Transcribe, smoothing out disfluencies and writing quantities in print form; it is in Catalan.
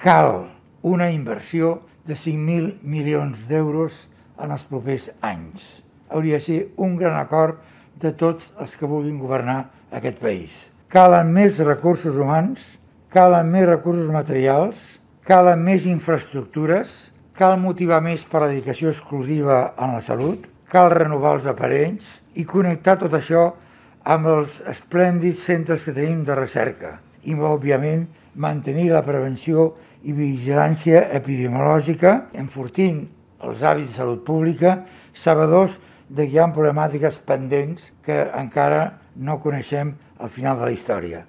cal una inversió de 5.000 milions d'euros en els propers anys. Hauria de ser un gran acord de tots els que vulguin governar aquest país. Calen més recursos humans, calen més recursos materials, calen més infraestructures, cal motivar més per la dedicació exclusiva en la salut, cal renovar els aparells i connectar tot això amb els esplèndids centres que tenim de recerca i, òbviament, mantenir la prevenció i vigilància epidemiològica, enfortint els hàbits de salut pública, sabedors que hi ha problemàtiques pendents que encara no coneixem al final de la història.